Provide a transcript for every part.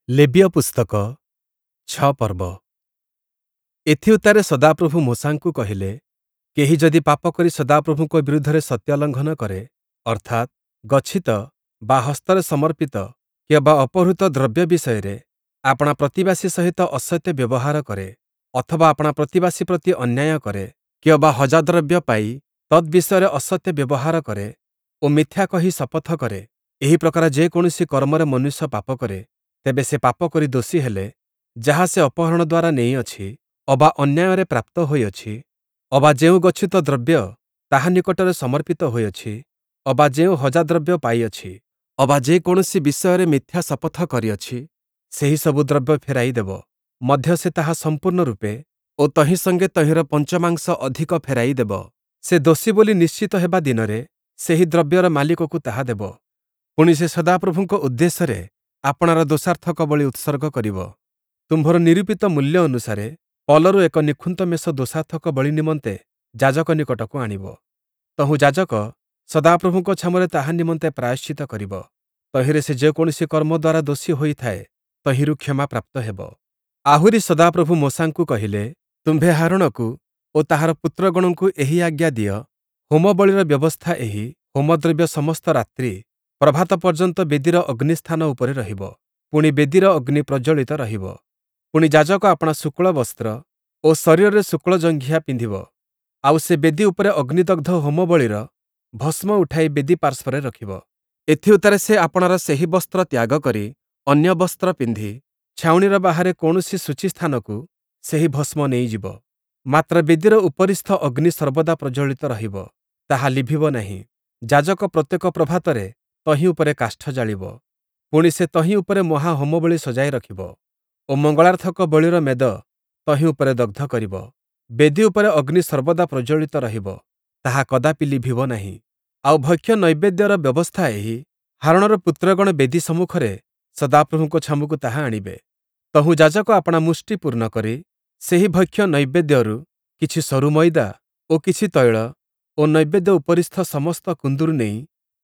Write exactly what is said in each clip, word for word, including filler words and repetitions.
ଲେବୀୟ ପୁସ୍ତକ ଛଅ ପର୍ବ ଏଥିଉତ୍ତାରେ ସଦାପ୍ରଭୁ ମୋଶାଙ୍କୁ କହିଲେ, କେହି ଯଦି ପାପ କରି ସଦାପ୍ରଭୁଙ୍କ ବିରୁଦ୍ଧରେ ସତ୍ୟ ଲଙ୍ଘନ କରେ, ଅର୍ଥାତ୍, ଗଚ୍ଛିତ ବା ହସ୍ତରେ ସମର୍ପିତ କିଅବା ଅପହୃତ ଦ୍ରବ୍ୟ ବିଷୟରେ ଆପଣା ପ୍ରତିବାସୀ ସହିତ ଅସତ୍ୟ ବ୍ୟବହାର କରେ, ଅଥବା ଆପଣା ପ୍ରତିବାସୀ ପ୍ରତି ଅନ୍ୟାୟ କରେ, କିଅବା ହଜାଦ୍ରବ୍ୟ ପାଇ ତଦ୍‌ବିଷୟରେ ଅସତ୍ୟ ବ୍ୟବହାର କରେ ଓ ମିଥ୍ୟା କହି ଶପଥ କରେ, ଏହି ପ୍ରକାର ଯେକୌଣସି କର୍ମରେ ମନୁଷ୍ୟ ପାପ କରେ, ତେବେ ସେ ପାପ କରି ଦୋଷୀ ହେଲେ, ଯାହା ସେ ଅପହରଣ ଦ୍ୱାରା ନେଇଅଛି, ଅବା ଅନ୍ୟାୟରେ ପ୍ରାପ୍ତ ହୋଇଅଛି, ଅବା ଯେଉଁ ଗଚ୍ଛିତ ଦ୍ରବ୍ୟ ତାହା ନିକଟରେ ସମର୍ପିତ ହୋଇଅଛି, ଅବା ଯେଉଁ ହଜାଦ୍ରବ୍ୟ ପାଇଅଛି, ଅବା ଯେକୌଣସି ବିଷୟରେ ମିଥ୍ୟା ଶପଥ କରିଅଛି, ସେହି ସବୁ ଦ୍ରବ୍ୟ ଫେରାଇ ଦେବ। ମଧ୍ୟ ସେ ତାହା ସମ୍ପୂର୍ଣ୍ଣ ରୂପେ ଓ ତହିଁ ସଙ୍ଗେ ତହିଁର ପଞ୍ଚମାଂଶ ଅଧିକ ଫେରାଇ ଦେବ। ସେ ଦୋଷୀ ବୋଲି ନିଶ୍ଚିତ ହେବା ଦିନରେ ସେହି ଦ୍ରବ୍ୟର ମାଲିକକୁ ତାହା ଦେବ। ପୁଣି ସେ ସଦାପ୍ରଭୁଙ୍କ ଉଦ୍ଦେଶ୍ୟରେ ଆପଣାର ଦୋଷାର୍ଥକ ବଳି ଉତ୍ସର୍ଗ କରିବ। ତୁମ୍ଭର ନିରୂପିତ ମୂଲ୍ୟ ଅନୁସାରେ ପଲରୁ ଏକ ନିଖୁନ୍ତ ମେଷ ଦୋଷାର୍ଥକ ବଳି ନିମନ୍ତେ ଯାଜକ ନିକଟକୁ ଆଣିବ। ତହୁଁ ଯାଜକ ସଦାପ୍ରଭୁଙ୍କ ଛାମୁରେ ତାହା ନିମନ୍ତେ ପ୍ରାୟଶ୍ଚିତ୍ତ କରିବ। ତହିଁରେ ସେ ଯେକୌଣସି କର୍ମ ଦ୍ୱାରା ଦୋଷୀ ହୋଇଥାଏ, ତହିଁରୁ କ୍ଷମା ପ୍ରାପ୍ତ ହେବ। ଆହୁରି ସଦାପ୍ରଭୁ ମୋଶାଙ୍କୁ କହିଲେ, ତୁମ୍ଭେ ହାରୋଣକୁ ଓ ତାହାର ପୁତ୍ରଗଣଙ୍କୁ ଏହି ଆଜ୍ଞା ଦିଅ, ହୋମବଳିର ବ୍ୟବସ୍ଥା ଏହି, ହୋମଦ୍ରବ୍ୟ ସମସ୍ତ ରାତ୍ରି ପ୍ରଭାତ ପର୍ଯ୍ୟନ୍ତ ବେଦିର ଅଗ୍ନିସ୍ଥାନ ଉପରେ ରହିବ, ପୁଣି ବେଦିର ଅଗ୍ନି ପ୍ରଜ୍ୱଳିତ ରହିବ। ପୁଣି ଯାଜକ ଆପଣା ଶୁକ୍ଳ ବସ୍ତ୍ର ଓ ଶରୀରରେ ଶୁକ୍ଳ ଜଙ୍ଘିଆ ପିନ୍ଧିବ, ଆଉ ସେ ବେଦି ଉପରେ ଅଗ୍ନିଦଗ୍ଧ ହୋମବଳିର ଭସ୍ମ ଉଠାଇ ବେଦି ପାର୍ଶ୍ୱରେ ରଖିବ। ଏଥିଉତ୍ତାରେ ସେ ଆପଣାର ସେହି ବସ୍ତ୍ର ତ୍ୟାଗ କରି ଅନ୍ୟ ବସ୍ତ୍ର ପିନ୍ଧି ଛାଉଣିର ବାହାରେ କୌଣସି ଶୁଚି ସ୍ଥାନକୁ ସେହି ଭସ୍ମ ନେଇଯିବ। ମାତ୍ର ବେଦିର ଉପରିସ୍ଥ ଅଗ୍ନି ସର୍ବଦା ପ୍ରଜ୍ୱଳିତ ରହିବ, ତାହା ଲିଭିବ ନାହିଁ। ଯାଜକ ପ୍ରତ୍ୟେକ ପ୍ରଭାତରେ ତହିଁ ଉପରେ କାଷ୍ଠ ଜାଳିବ। ପୁଣି ସେ ତହିଁ ଉପରେ ମହା ହୋମବଳି ସଜାଇ ରଖିବ ଓ ମଙ୍ଗଳାର୍ଥକ ବଳିର ମେଦ ତହିଁ ଉପରେ ଦଗ୍ଧ କରିବ। ବେଦି ଉପରେ ଅଗ୍ନି ସର୍ବଦା ପ୍ରଜ୍ୱଳିତ ରହିବ, ତାହା କଦାପି ଲିଭିବ ନାହିଁ। ଆଉ ଭକ୍ଷ୍ୟ ନୈବେଦ୍ୟର ବ୍ୟବସ୍ଥା ଏହି, ହାରୋଣର ପୁତ୍ରଗଣ ବେଦି ସମ୍ମୁଖରେ ସଦାପ୍ରଭୁଙ୍କ ଛାମୁକୁ ତାହା ଆଣିବେ। ତହୁଁ ଯାଜକ ଆପଣା ମୁଷ୍ଟି ପୂର୍ଣ୍ଣ କରି ସେହି ଭକ୍ଷ୍ୟ ନୈବେଦ୍ୟରୁ କିଛି ସରୁ ମଇଦା ଓ କିଛି ତୈଳ ଓ ନୈବେଦ୍ୟ ଉପରିସ୍ଥ ସମସ୍ତ କୁନ୍ଦୁରୁ ନେଇ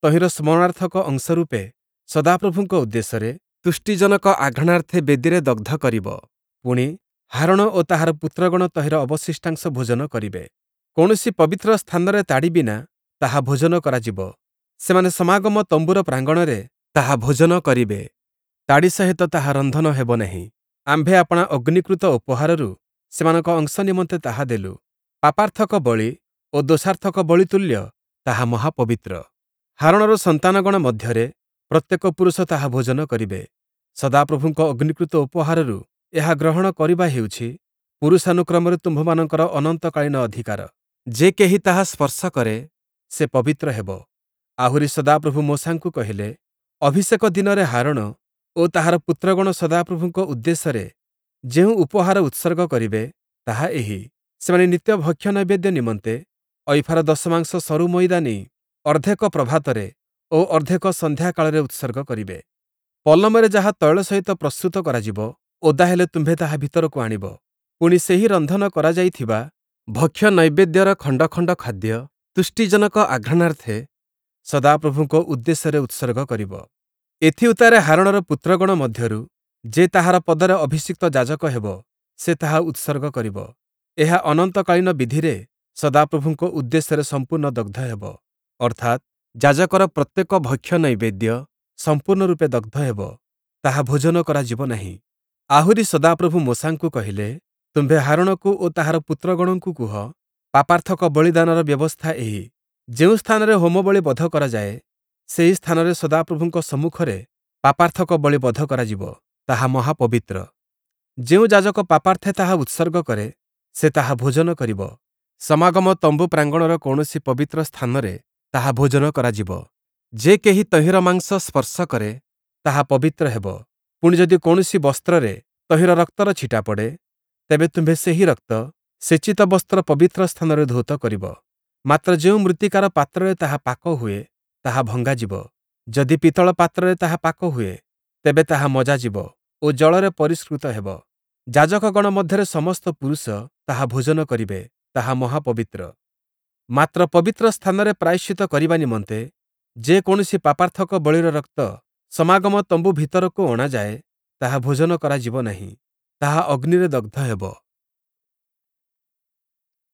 ତହିଁର ସ୍ମରଣାର୍ଥକ ଅଂଶ ରୂପେ ସଦାପ୍ରଭୁଙ୍କ ଉଦ୍ଦେଶ୍ୟରେ ତୁଷ୍ଟିଜନକ ଆଘ୍ରାଣାର୍ଥେ ବେଦିରେ ଦଗ୍ଧ କରିବ। ପୁଣି, ହାରୋଣ ଓ ତାହାର ପୁତ୍ରଗଣ ତହିଁର ଅବଶିଷ୍ଟାଂଶ ଭୋଜନ କରିବେ। କୌଣସି ପବିତ୍ର ସ୍ଥାନରେ ତାଡ଼ି ବିନା ତାହା ଭୋଜନ କରାଯିବ। ସେମାନେ ସମାଗମ ତମ୍ବୁର ପ୍ରାଙ୍ଗଣରେ ତାହା ଭୋଜନ କରିବେ। ତାଡ଼ି ସହିତ ତାହା ରନ୍ଧନ ହେବ ନାହିଁ। ଆମ୍ଭେ ଆପଣା ଅଗ୍ନିକୃତ ଉପହାରରୁ ସେମାନଙ୍କ ଅଂଶ ନିମନ୍ତେ ତାହା ଦେଲୁ। ପାପାର୍ଥକ ବଳି ଓ ଦୋଷାର୍ଥକ ବଳି ତୁଲ୍ୟ ତାହା ମହାପବିତ୍ର। ହାରୋଣର ସନ୍ତାନଗଣ ମଧ୍ୟରେ ପ୍ରତ୍ୟେକ ପୁରୁଷ ତାହା ଭୋଜନ କରିବେ। ସଦାପ୍ରଭୁଙ୍କ ଅଗ୍ନିକୃତ ଉପହାରରୁ ଏହା ଗ୍ରହଣ କରିବା ହେଉଛି ପୁରୁଷାନୁକ୍ରମରେ ତୁମ୍ଭମାନଙ୍କର ଅନନ୍ତକାଳୀନ ଅଧିକାର। ଯେ କେହି ତାହା ସ୍ପର୍ଶ କରେ, ସେ ପବିତ୍ର ହେବ। ଆହୁରି ସଦାପ୍ରଭୁ ମୋଶାଙ୍କୁ କହିଲେ, ଅଭିଷେକ ଦିନରେ ହାରୋଣ ଓ ତାହାର ପୁତ୍ରଗଣ ସଦାପ୍ରଭୁଙ୍କ ଉଦ୍ଦେଶ୍ୟରେ ଯେଉଁ ଉପହାର ଉତ୍ସର୍ଗ କରିବେ, ତାହା ଏହି, ସେମାନେ ନିତ୍ୟ ଭକ୍ଷ୍ୟ ନୈବେଦ୍ୟ ନିମନ୍ତେ ଐଫାର ଦଶମାଂଶ ସରୁ ମଇଦା ନେଇ ଅର୍ଦ୍ଧେକ ପ୍ରଭାତରେ ଓ ଅର୍ଦ୍ଧେକ ସନ୍ଧ୍ୟାକାଳରେ ଉତ୍ସର୍ଗ କରିବେ। ପଲମରେ ଯାହା ତୈଳ ସହିତ ପ୍ରସ୍ତୁତ କରାଯିବ, ଓଦା ହେଲେ ତୁମ୍ଭେ ତାହା ଭିତରକୁ ଆଣିବ। ପୁଣି ସେହି ରନ୍ଧନ କରାଯାଇଥିବା ଭକ୍ଷ୍ୟ ନୈବେଦ୍ୟର ଖଣ୍ଡ ଖଣ୍ଡ ଖାଦ୍ୟ ତୁଷ୍ଟିଜନକ ଆଘ୍ରାଣାର୍ଥେ ସଦାପ୍ରଭୁଙ୍କ ଉଦ୍ଦେଶ୍ୟରେ ଉତ୍ସର୍ଗ କରିବ। ଏଥିଉତ୍ତାରେ ହାରୋଣର ପୁତ୍ରଗଣ ମଧ୍ୟରୁ ଯେ ତାହାର ପଦରେ ଅଭିଷିକ୍ତ ଯାଜକ ହେବ, ସେ ତାହା ଉତ୍ସର୍ଗ କରିବ। ଏହା ଅନନ୍ତକାଳୀନ ବିଧିରେ ସଦାପ୍ରଭୁଙ୍କ ଉଦ୍ଦେଶ୍ୟରେ ସମ୍ପୂର୍ଣ୍ଣ ଦଗ୍ଧ ହେବ। ଅର୍ଥାତ୍ ଯାଜକର ପ୍ରତ୍ୟେକ ଭକ୍ଷ୍ୟ ନୈବେଦ୍ୟ ସମ୍ପୂର୍ଣ୍ଣ ରୂପେ ଦଗ୍ଧ ହେବ, ତାହା ଭୋଜନ କରାଯିବ ନାହିଁ। ଆହୁରି ସଦାପ୍ରଭୁ ମୋଶାଙ୍କୁ କହିଲେ, ତୁମ୍ଭେ ହାରୋଣକୁ ଓ ତାହାର ପୁତ୍ରଗଣଙ୍କୁ କୁହ, ପାପାର୍ଥକ ବଳିଦାନର ବ୍ୟବସ୍ଥା ଏହି, ଯେଉଁ ସ୍ଥାନରେ ହୋମବଳି ବଧ କରାଯାଏ, ସେହି ସ୍ଥାନରେ ସଦାପ୍ରଭୁଙ୍କ ସମ୍ମୁଖରେ ପାପାର୍ଥକ ବଳି ବଧ କରାଯିବ, ତାହା ମହାପବିତ୍ର। ଯେଉଁ ଯାଜକ ପାପାର୍ଥେ ତାହା ଉତ୍ସର୍ଗ କରେ, ସେ ତାହା ଭୋଜନ କରିବ। ସମାଗମ ତମ୍ବୁ ପ୍ରାଙ୍ଗଣର କୌଣସି ପବିତ୍ର ସ୍ଥାନରେ ତାହା ଭୋଜନ କରାଯିବ। ଯେ କେହି ତହିଁର ମାଂସ ସ୍ପର୍ଶ କରେ, ତାହା ପବିତ୍ର ହେବ। ପୁଣି ଯଦି କୌଣସି ବସ୍ତ୍ରରେ ତହିଁର ରକ୍ତର ଛିଟା ପଡ଼େ, ତେବେ ତୁମ୍ଭେ ସେହି ରକ୍ତ ସେଚିତ ବସ୍ତ୍ର ପବିତ୍ର ସ୍ଥାନରେ ଧୌତ କରିବ। ମାତ୍ର ଯେଉଁ ମୃତ୍ତିକାର ପାତ୍ରରେ ତାହା ପାକ ହୁଏ, ତାହା ଭଙ୍ଗାଯିବ। ଯଦି ପିତ୍ତଳ ପାତ୍ରରେ ତାହା ପାକ ହୁଏ, ତେବେ ତାହା ମଜାଯିବ ଓ ଜଳରେ ପରିଷ୍କୃତ ହେବ। ଯାଜକଗଣ ମଧ୍ୟରେ ସମସ୍ତ ପୁରୁଷ ତାହା ଭୋଜନ କରିବେ, ତାହା ମହାପବିତ୍ର। ମାତ୍ର ପବିତ୍ର ସ୍ଥାନରେ ପ୍ରାୟଶ୍ଚିତ୍ତ କରିବା ନିମନ୍ତେ ଯେ କୌଣସି ପାପାର୍ଥକ ବଳିର ରକ୍ତ ସମାଗମ ତମ୍ବୁ ଭିତରକୁ ଅଣାଯାଏ, ତାହା ଭୋଜନ କରାଯିବ ନାହିଁ, ତାହା ଅଗ୍ନିରେ ଦଗ୍ଧ ହେବ।